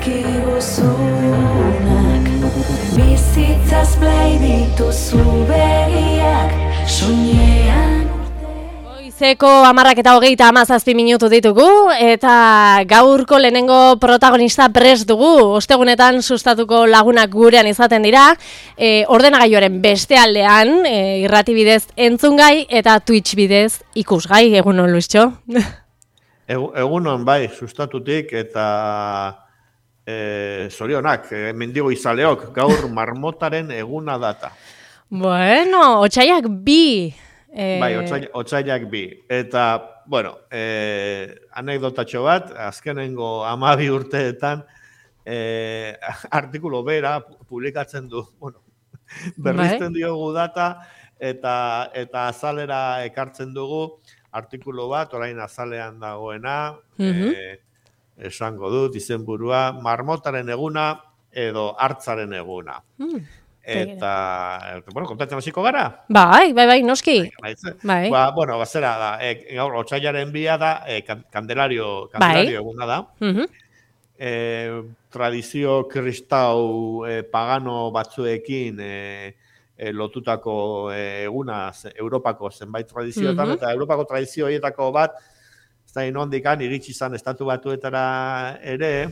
dizkiguzunak, bizitzaz blai dituzu begiak, soinean Goizeko 10:27 minutu ditugu, eta gaurko lehenengo protagonista prest dugu. Ostegunetan sustatuko lagunak gurean izaten dira, ordenagailuaren beste aldean, irrati bidez entzungai eta Twitch bidez ikusgai. Egunon, Luistxo? Egunon, bai, sustatutik eta zorionak, mendigo izaleok, gaur marmotaren eguna data. Bueno, otsailak 2. Bai, otsailak 2. Eta, bueno, anekdotatxo bat, azkenengo 12 urteetan artikulu bera publikatzen du, bueno, berrizten diogu data, eta azalera ekartzen dugu artikulu bat, orain azalean dagoena, esango dut, izenburua, marmotaren eguna edo hartzaren eguna. Eta, bueno, kontatzen hasiko gara? Bai, noski. Bai. Bueno, zera da, gaur, otsailaren 2 da, Kandelario eguna da. Tradizio kristau pagano batzuekin lotutako eguna Europako zenbait tradizioetan, eta Europako tradizio horietako bat, ez da inondikan, iritsi izan estatu batuetara ere,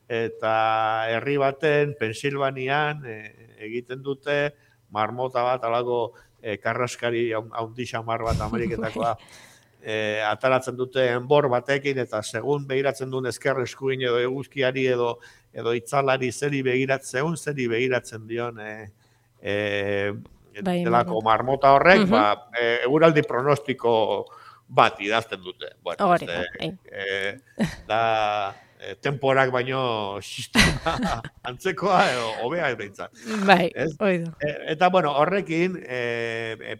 eta herri baten, Pensilvanian, egiten dute marmota bat, alako karraskari haundi xamar bat Ameriketakoa, ataratzen dute enbor batekin, eta segun begiratzen duen ezker eskuin edo eguzkiari edo itzalari zeri begiratzen dion delako marmota horrek, eguraldi pronostiko bat idazten dute. Bueno, da temporak baino sistema antzekoa edo hobea behintzat. Bai, oido. Eta, bueno, horrekin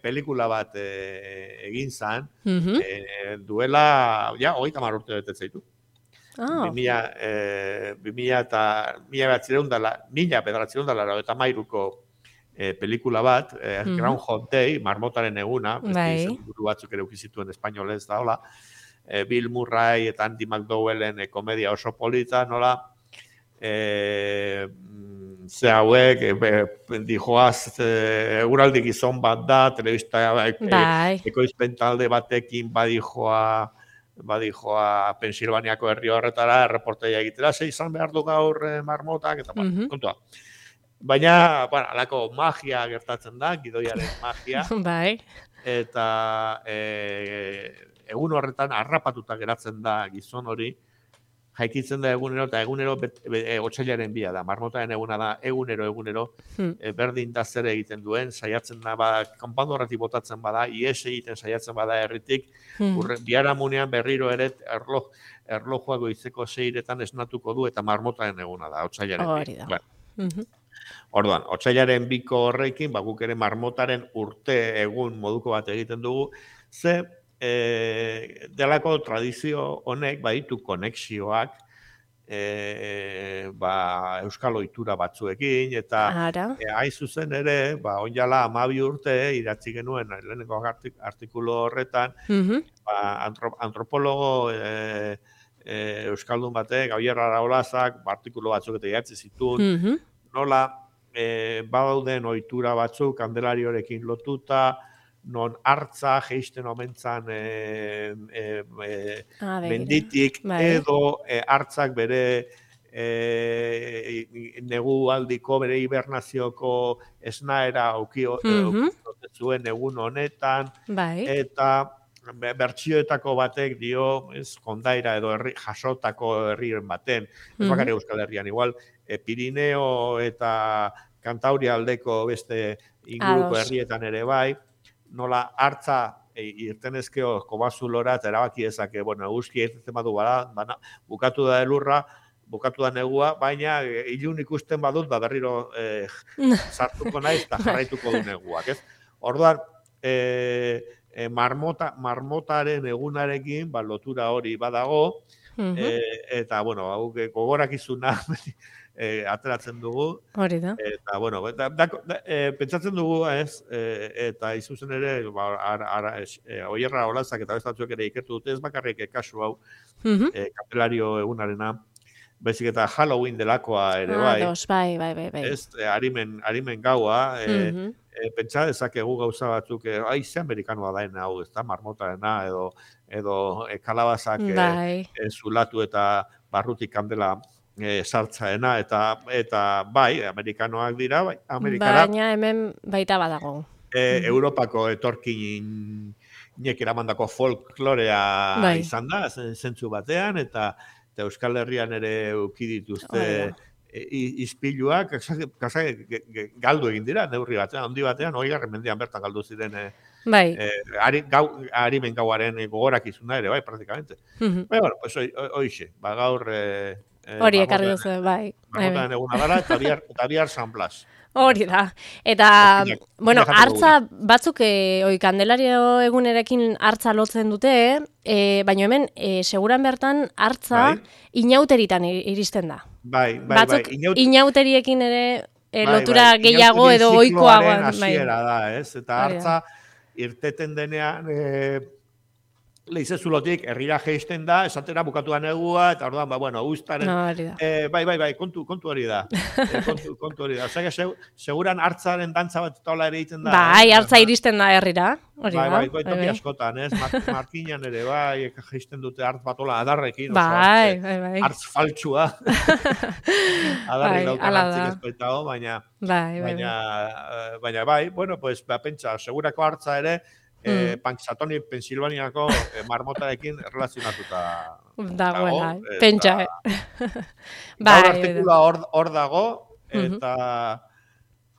pelikula bat egin zan, duela, ja, 30 urte betetzen zaitu. 1983ko pelikula bat, Groundhog Day, marmotaren eguna, buru batzuk ere ukizituen espainolez da, hola, Bill Murray eta Andy McDowellen komedia oso polita, nola, ze hauek, dijoaz, eguraldi gizon bat da, telebista ekoizpen talde batekin badijoa Pensilvaniako herri horretara, erreporteia egitera, ze izan behar du gaur marmotak, eta kontua. Baina, bueno, alako magia gertatzen da, gidoiaren magia. Bai. Eta egun horretan harrapatuta geratzen da gizon hori, jaikitzen da egunero, eta egunero otsailaren 2 da, marmotaren eguna da, egunero, berdin da zer egiten duen, saiatzen da, kanpando horretik botatzen bada, ies egiten saiatzen bada herritik, biharamunean berriro ere erlojua goizeko 6etan esnatuko du, eta marmotaren eguna da, otsailaren 2. Orduan, otsailaren 2ko horrekin, guk ere marmotaren urte egun moduko bat egiten dugu, ze delako tradizio honek baditu konexioak euskal ohitura batzuekin, eta hain zuzen ere, onjala 12 urte idatzi genuen lehenengo artikulu horretan, antropologo euskaldun batek, Javier Araolazak, artikulu batzuk eta idatzi zituen, nola badauden ohitura batzuk Kandelariorekin lotuta, non hartza jeisten omentzan menditik, edo hartzak bere negualdiko, bere hibernazioko esnaera zuen egun honetan, eta bertsioetako batek dio, kondaira edo jasotako herriren baten, ez bakar Euskal Herrian, igual, Pirineo eta Kantauria aldeko beste inguruko herrietan ere bai, nola hartza irtenezkeo kobazulora eta erabaki ezake, bueno, eguzki egiten badu bada, bukatu da elurra, bukatu da negua, baina ilun ikusten badut, berriro sartuko naiz eta jarraituko du neguak, ez? Orduan, marmotaren egunarekin, lotura hori badago, eta, bueno, gogorakizuna ateratzen dugu. Hori da. Eta, bueno, pentsatzen dugu, ez, eta izuzen ere, Oierra Olazak eta bestatzuek ere ikertu dute, ez bakarrik kasu hau, Kandelario egunarena, baizik eta Halloween delakoa ere bai. Dos, bai. Ez, arimen gaua, pentsa dezakegu gauza batzuk, ze amerikanoa daen hau, ez da, marmotarena, edo kalabazak zulatu eta barrutik kandela sartzaena, eta bai, amerikanoak dira, bai, Amerikara. Baina hemen baita badago. Europako etorkinek eramandako folklorea izan da, zentzu batean, eta Euskal Herrian ere uki dituzte ispiluak, galdu egin dira, neurri batean, handi batean, 20. mendean bertan galdu ziren arimen gauaren gogorak izuna ere, bai, praktikamente. Baina, bueno, pues hoixe, gaur... Hori ekarri duzu, bai. Marmotaren eguna dara, eta bihar San Blas. Hori da. Eta, bueno, hartza batzuk Kandelario egunerekin hartza lotzen dute, baina hemen, seguran bertan hartza inauteritan iristen da. Bai. Batzuk inauteriekin ere lotura gehiago edo ohikoagoan. Inauterien hasiera da, ez? Eta hartza irteten denean... Leize zulotik, herrira geisten da, esatera bukatu da negua, eta orduan, bueno, ustaren... Bai, kontu hori da. Kontu hori da. Osea, seguran hartzaren dantza bat tola ere egiten da. Bai, hartza iristen da herrira. Bai, toki askotan, ez? Markinan ere, bai, geisten dute hartz batola adarrekin. Bai. Hartz faltsua. Adarrik daukan hartzik ezkoitago, baina... Baina, bai, bueno, pues, pentsa, segurako hartza ere, Punxsutawney, Pensilvaniako marmotarekin relazionatuta dagoela, pentsa. Gaur artikulua hor dago, eta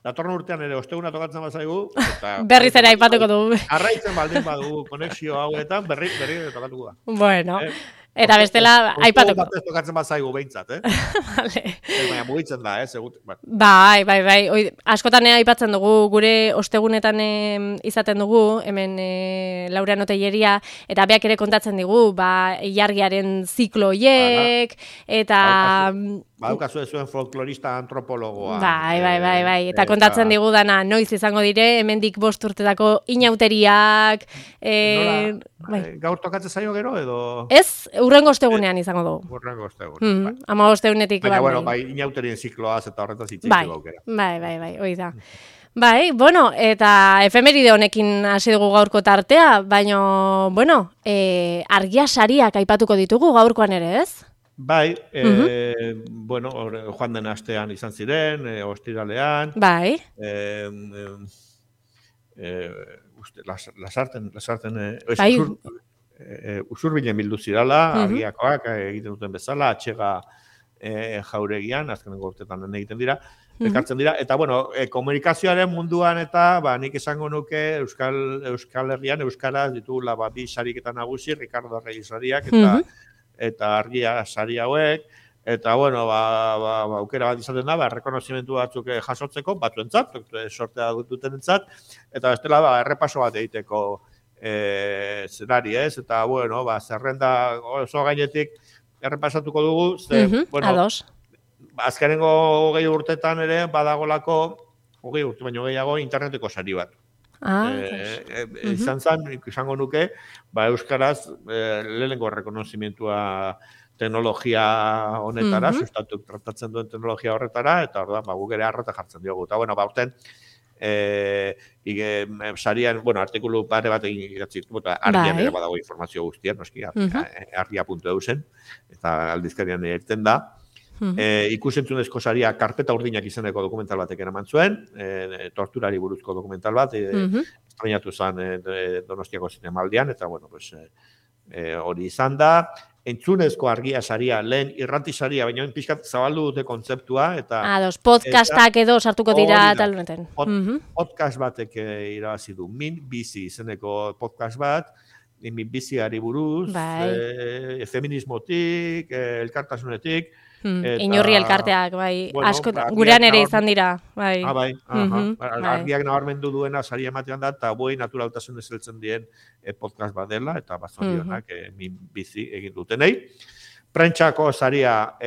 datorren urtean ere osteguna tokatzen bazaigu. Berriz ere aipatuko dugu. Arraitzen baldin badugu konexio hauetan, berri tokatuko da. Bueno, eta bestela aipatuko. Batez tokatzen bazaigu behintzat, Vale. Baina mugitzen da, segut. Bai. Askotan aipatzen dugu, gure ostegunetan izaten dugu, hemen Laureano Telleria, eta beak ere kontatzen digu, ilargiaren ziklo hiek, eta... Badaukazu zuen folklorista antropologoa. Bai. Eta kontatzen digu dana, noiz izango dire, hemendik 5 urtetako inauteriak... Gaur tokatzen zaio gero, edo... Ez, urrengo ostegunean izango dugu. Urrengo ostegunean, bai. 15 baina, bueno, inauterien zikloaz eta horretaz itxeiteko aukera. Bai, hoi da. Bai, bueno, eta efemeride honekin hasi dugu gaurko tartea, baina, bueno, argia sariak aipatuko ditugu gaurkoan ere, ez? Bai, bueno, joan den astean izan ziren, ostiralean. Bai. Lasarten, usurbilen bildu zirala, argiakoak egiten duten bezala, atxega jauregian, azkenengo urtetan egiten dira, ekartzen dira, eta bueno, komunikazioaren munduan eta, nik esango nuke Euskal Herrian, Euskaraz ditugula bi sariketa nagusi, Ricardo Reyes sariak, eta argia sari hauek, eta bueno, aukera bat izaten da, errekonozimentu batzuk jasotzeko, batzuentzat, sortea dutenentzat, eta bestela errepaso bat egiteko zenari, ez? Eta bueno, zerrenda oso gainetik errepasatuko dugu, bueno, azkenengo 20 urtetan ere badagolako, 20 urte baino gehiago, interneteko sari bat. Izango nuke, euskaraz lehenengo errekonozimentua teknologia honetara, sustatu tratatzen duen teknologia horretara, eta orduan, guk ere arreta jartzen diogu. Eta, bueno, urten, sarian, bueno, artikulu pare bat egin idatzi, argian ere badago informazio guztian, noski, argia.eu zen, eta aldizkarian egiten da. Ikusentzunezko saria karpeta urdinak izeneko dokumental batek eraman zuen, torturari buruzko dokumental bat, estrenatu zen Donostiako zinemaldian, eta bueno, hori izan da. Entzunezko argia saria, lehen irrati saria, baina pixkat zabaldu dute kontzeptua. Podcastak edo sartuko dira tal honetan. Podcast batek irabazi du, Min Bizi izeneko podcast bat, min biziari buruz, feminismotik, elkartasunetik, Inurri elkarteak, bai, askotan, gurean ere izan dira, bai. Argiak nabarmendu duena sari ematean da, eta boi naturaltasun ezeltzen dien podcast bat dela, eta bazorionak min bizi egin dutenei. Prentxako saria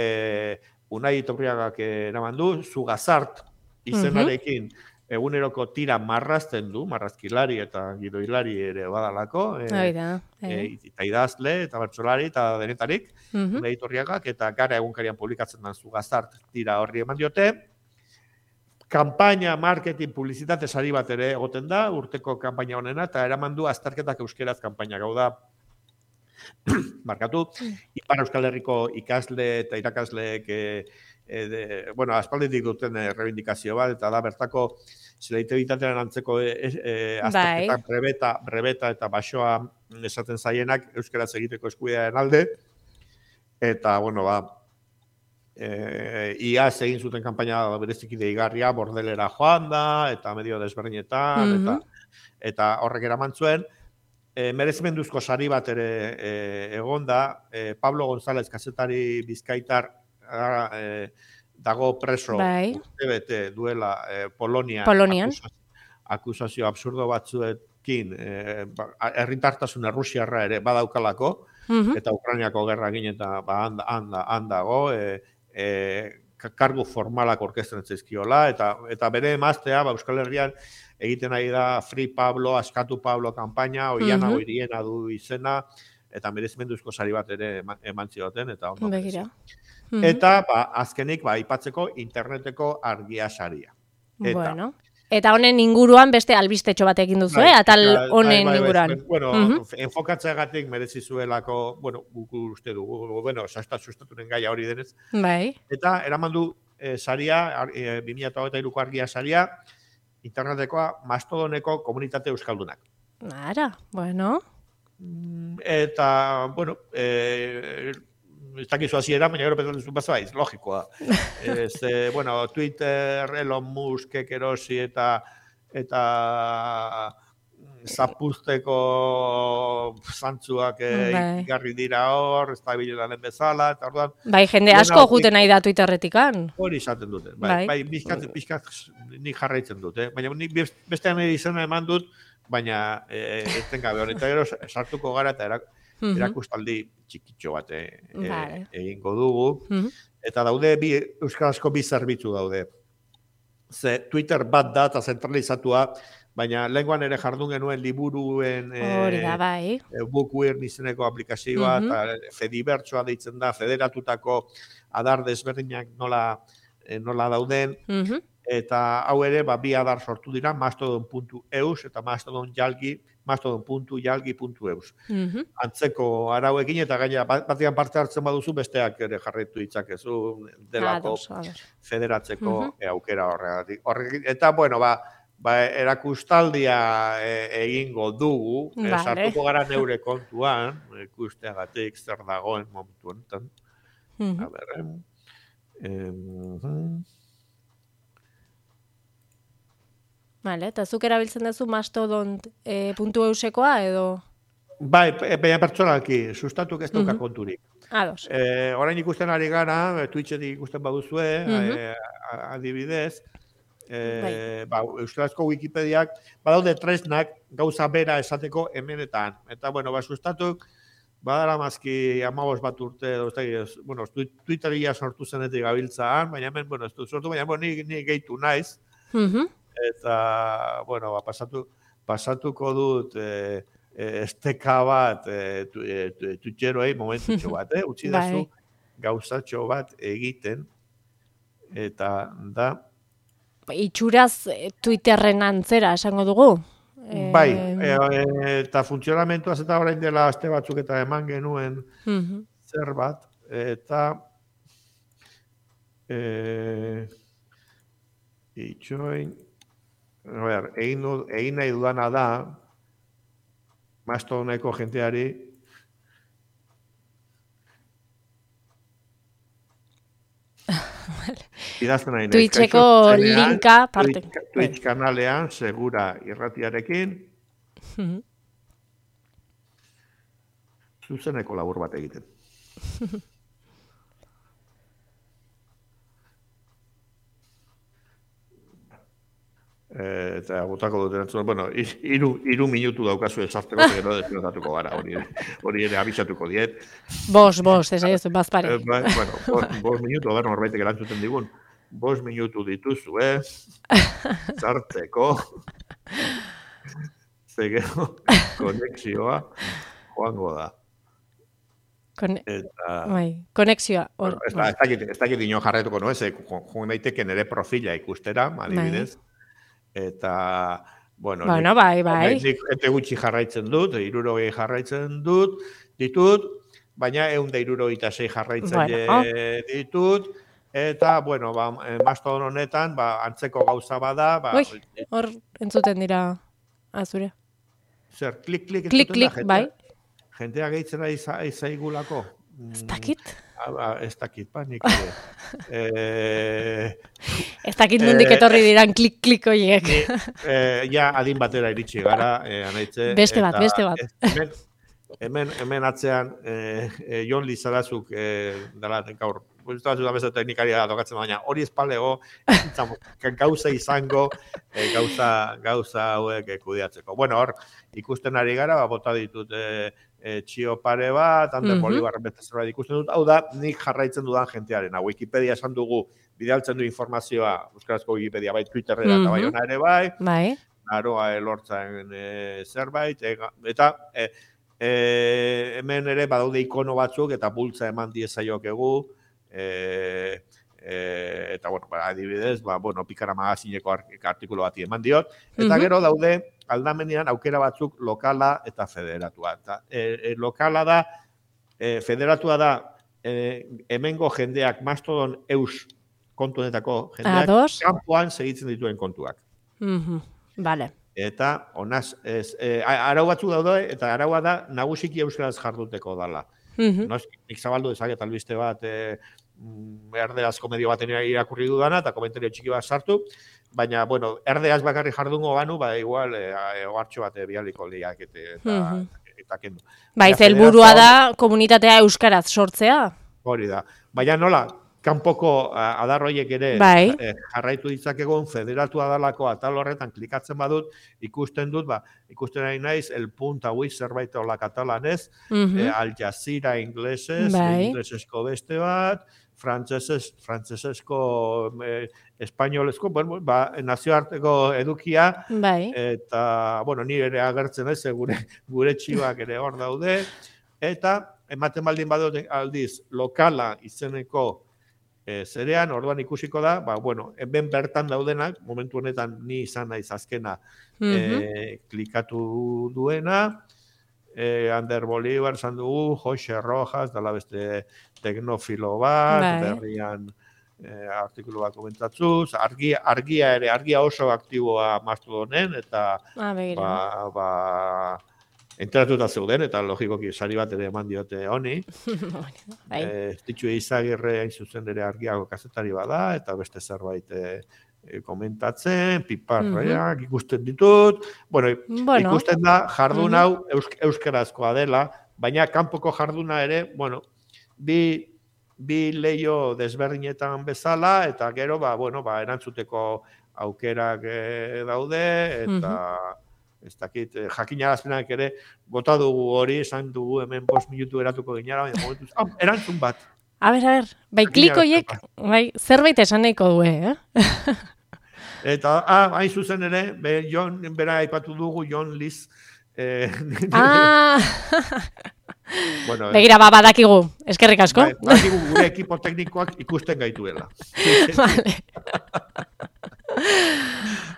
Unai Topriagak eraman du, Zugazart izenarekin eguneroko tira marrazten du, marrazkilari eta gidoilari ere badalako, eta idazle, eta bertsolari, eta denetarik, editoriagak, eta Gara egunkarian publikatzen den Zugazart tira horri eman diote. Kampaina, marketing, publizitate sari bat ere egoten da, urteko kampaina honena, eta eraman du azterketak euskeraz kampaina gau da. Markatu, Ipar Euskal Herriko ikasle eta irakasleek aspalditik duten reivindikazio bat, eta da bertako selektibitatearen antzeko azterketak brebeta eta basoa esaten zaienak euskaraz egiteko eskubidearen alde, eta, iaz egin zuten kanpaina bereziki deigarria, bordelera joan da, eta medio desberdinetan, eta horrek eraman zuen, merezimenduzko sari bat ere egon da, Pablo González kazetari bizkaitar dago preso urtebete duela Polonian akusazio absurdo batzuekin herritartasun errusiarra ere badaukalako, eta Ukrainiako gerra egin eta han dago, kargu formalak orkestren zaizkiola, eta bere emaztea Euskal Herrian egiten ari da Free Pablo, Askatu Pablo kanpaina, Oiana Goiriena du izena, eta merezimenduzko sari bat ere eman zioten, eta ondo. Begira. Eta, azkenik, aipatzeko interneteko argia saria. Eta honen inguruan beste albistetxo bat egin duzu, atal honen inguruan. Enfokatzeagatik merezi zuelako, guk uste dugu, sustaturen gaia hori denez. Eta, eraman du saria, 2023ko argia saria, internetekoa Mastodoneko komunitate euskaldunak. Eta, ez dakizu hasiera, baina gero pentsatu bazaiz, logikoa. Twitter, Elon Muskek erosi eta zapuzteko zantzuak igarri dira hor, ez da biletan bezala, eta orduan... jende asko juten nahi da Twitterretikan. Hori izaten dute, bizkat nik jarraitzen dute, baina nik bestean izena eman dut, baina ezten gabe hori, eta gero sartuko gara eta erakustaldi txikitxo bat egingo dugu, eta daude euskarazko bi zerbitzu daude. Ze Twitter bat da eta zentralizatua, baina lenguan ere jardun genuen liburuen Bookwire izeneko aplikazioa, eta Fedibertsoa deitzen da, federatutako adar desberdinak nola dauden, eta hau ere bi adar sortu dira, mastodon.eus eta mastodon.jalgi.eus. Antzeko arauekin eta gaina batean parte hartzen baduzu besteak ere jarraitu ditzakezu delako federatzeko aukera horregatik. Eta, erakustaldia egingo dugu, sartuko gara neure kontuan, ikusteagatik zer dagoen momentu honetan. Eta zuk erabiltzen duzu mastodon.eusekoa edo? Baina pertsonalki, sustatuk ez dauka konturik. Orain ikusten ari gara, Twitchetik ikusten baduzue, adibidez, euskarazko Wikipediak badaude tresnak gauza bera esateko hemenetan. Eta, sustatuk badara mazki 15 bat urte, Twitteria sortu zenetik gabiltzaan, baina hemen, ez du sortu, baina ni gehitu naiz. Eta, pasatuko dut esteka bat tutxeroei momentutxo bat, utzi dazu gauzatxo bat egiten, eta da... Itxuraz Twitterren antzera esango dugu? Eta funtzionamentuaz eta orain dela aste batzuk eta eman genuen zer bat, eta... Itxoin... Egin nahi dudana da, Mastodoneko jenteari, idazten nahi nahi. Twitcheko linka parte. Twitch kanalean, segura irratiarekin, zuzeneko labur bat egiten. Eta botako dut erantzuna, iru minutu daukazu esarteko, gero desfinotatuko gara, hori ere abisatuko diet. Bos, ez bazpare. 5 minutu, norbaitek erantzuten digun. 5 minutu dituzu, sartzeko. Zegero, konexioa joango da. Konexioa. Ez dakit ino jarretuko, no? Joan daiteke nire profila ikustera, adibidez. Eta, bueno, bai. Nik ete gutxi jarraitzen dut, 60 jarraitzen ditut, baina 176 jarraitzaile ditut, eta, bueno, Mastodon honetan, antzeko gauza bada, hor entzuten dira azure. Zer, klik, bai. Jentea gehitzen ari zaigulako. Ez dakit? Ez dakit, nik ez dakit nondik etorri diran klik horiek. Ja, adin batera iritsi gara, anaitze. Beste bat. Hemen atzean, Jon Lizarazuk dela gaur, guztatu da bezo teknikaria dokatzen baina hori espalego, gauza izango, gauza hauek kudeatzeko. Bueno, hor, ikusten ari gara, bota ditut txio pare bat, Ander Bolivar beste zerbait ikusten dut, hau da, nik jarraitzen dudan jentearena. Wikipedia esan dugu, bidaltzen du informazioa, euskarazko Wikipedia bai Twitterrera eta bai ona ere bai, naroa elortzen zerbait, eta hemen ere badaude ikono batzuk eta bultza eman diezaiokegu, eta, bueno, adibidez, Pikara Magazineko artikulu bati eman diot, eta gero daude aldamenean aukera batzuk lokala eta federatua. Lokala da, federatua da, hemengo jendeak Mastodon eus kontuenetako jendeak kanpoan segitzen dituen kontuak. Vale. Eta, honaz, arau batzuk daude, eta araua da, nagusiki euskaraz jarduteko dala. Nik zabaldu dezaket albiste bat, erdeazko medio baten irakurri dudana, eta komentario txiki bat sartu, baina, bueno, erdeaz bakarri jardungo banu, igual, ohartxo bat bialiko liak eta kendu. Helburua da komunitatea euskaraz sortzea? Hori da. Baina nola, kanpoko adarroiek ere jarraitu ditzakegon federatua dalako atal horretan klikatzen badut, ikusten nahi naiz, el punta hui zerbait hola katalanez, Al Jazeera inglesesko beste bat, frantzesezko, espainolezko, nazioarteko edukia, eta, bueno, ni ere agertzen ez, gure txibak ere hor daude, eta ematen baldin badut aldiz, lokala izeneko zerean, orduan ikusiko da, hemen bertan daudenak, momentu honetan ni izan naiz azkena klikatu duena, Ander Bolivar zan dugu, Jose Rojas, dala beste teknofilo bat, berrian artikulu bat komentatzuz, argia oso aktiboa Mastodonen, eta enteratuta zeuden, eta logikoki sari bat ere eman diote honi. Ditxu Izagirre hain zuzen ere argiago kazetari bada, eta beste zerbait komentatzen, piparreak ikusten ditut. Bueno, ikusten da jardun hau euskarazkoa dela, baina kanpoko jarduna ere, bueno, bi leio desberdinetan bezala, eta gero, erantzuteko aukerak daude, eta ez dakit, jakinarazpenak ere, bota dugu hori, esan dugu hemen 5 minutu eratuko ginara, baina momentuz, erantzun bat. A ber, klikoiek, zerbait esan nahiko du, Eta, hain zuzen ere, Jon, bera aipatu dugu, Jon Liz. Begira, badakigu, eskerrik asko. Badakigu gure ekipo teknikoak ikusten gaituela. Vale.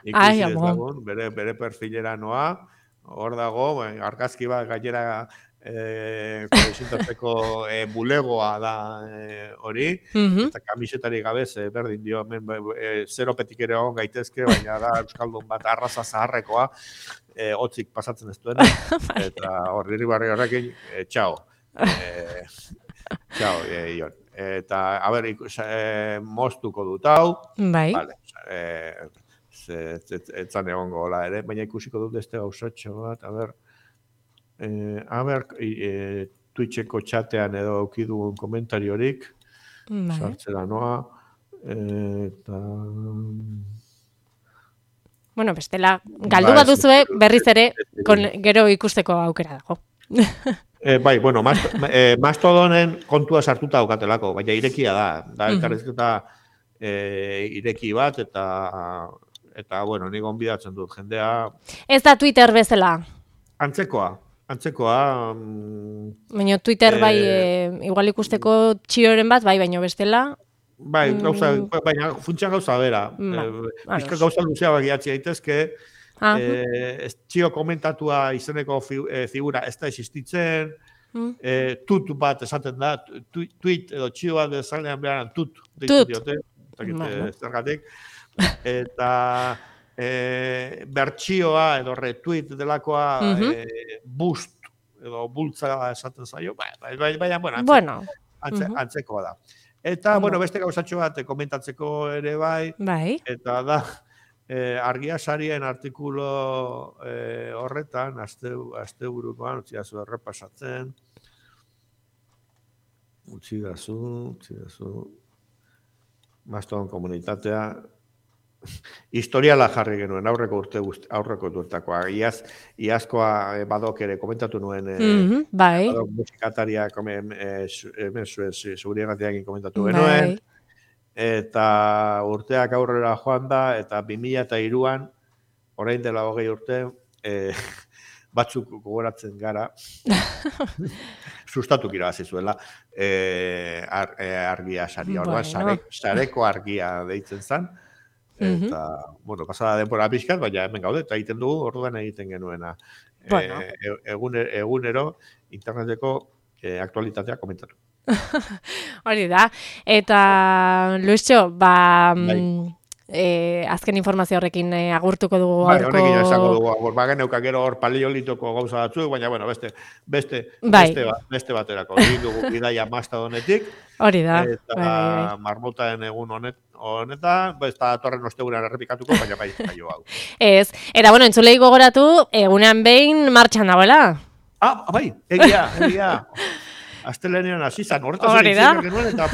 Ikusi dezagun, bere perfilera noa, hor dago, argazki bat gainera kolezintatzeko bulegoa da hori, eta kamisetari gabez, berdin dio, zero petik ere hon gaitezke, baina da euskaldun bat arraza zaharrekoa, hotzik pasatzen ez duena, eta horri barri horrekin, txao. Txao, Ion. Eta, moztuko dut hau, etzan egongo gola ere, baina ikusiko dut este gauzatxo bat, Twitcheko txatean edo aukidugun komentariorik, sartzera noa, eta... Bueno, bestela, galdu bat duzue, berriz ere, gero ikusteko aukera dago. Bueno, Mastodonen kontua sartuta daukatelako, baina irekia da elkarrezketa ireki bat, eta bueno, nik gonbidatzen dut jendea. Ez da Twitter bezala? Antzekoa. Baina Twitter bai, igual ikusteko txioren bat, bai, baina bestela... Bai, baina funtsan gauza bera. Bizka gauza luzeagoak idatzi daitezke, txio komentatua izeneko figura ez da existitzen, tut bat esaten da, tweet edo txio bat bezalean beharan tut deitu diote, zergatik, eta bertxioa edo retweet delakoa boost edo bultza esaten zaio, baina, bueno, antzekoa da. Eta, bueno, beste gauzatxo bat komentatzeko ere bai, eta da, Argiasarien artikulo horretan, asteburukoan, utzi dazu errepasatzen, utzi dazu, Mastodon komunitatea, historiala jarri genuen, aurreko urteakoa. Iazkoa badok ere komentatu nuen, badok musikataria zuriegatiakin komentatu genuen, eta urteak aurrera joan da, eta 2003an, orain dela 20 urte, batzuk gogoratzen gara, sustatuk irabazi zuela, argia saria, orduan, sareko argia deitzen zen, eta, bueno, pasada denbora pixkat, baina hemen gaude, eta egiten dugu, orduan egiten genuena. Egunero, interneteko aktualitatea komentatu. Hori da, eta Luisio, azken informazio horrekin agurtuko dugu gaurko... Honekin esango dugu agur, geneuka gero hor paleolitoko gauza batzuk, baina, bueno, beste baterako. Egin dugu bidaia Mastodonetik, hori da, eta marmotaen egun honetan, ez da torren ostegunean errepikatuko, baina bai hau. Ez, eta bueno, entzulei gogoratu, egunean behin martxan dagoela. Bai, egia. Astelenean hasi zan, horretaz egin genuen, eta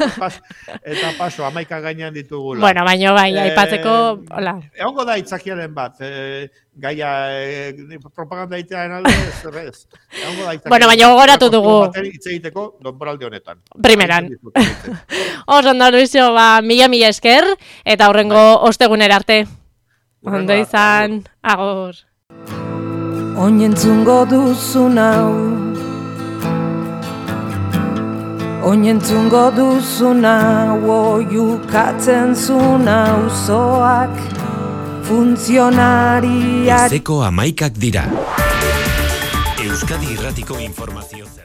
paso, 11 gainean ditugula. Bueno, baina bai, aipatzeko, hola. Egongo da itzakiaren bat, gaia propaganda itean alde, ez. Bueno, baina gogoratu dugu. Itz egiteko, donboralde honetan. Primeran. Ondo, Luisio, mila esker, eta horrengo ostegunera arte. Ondo izan, agor. Oinentzungo duzun hau, oinentzungo duzuna, oiukatzen zuna uzoak, funtzionariak. Goizeko 11 dira. Euskadi Irratiko informazio zer.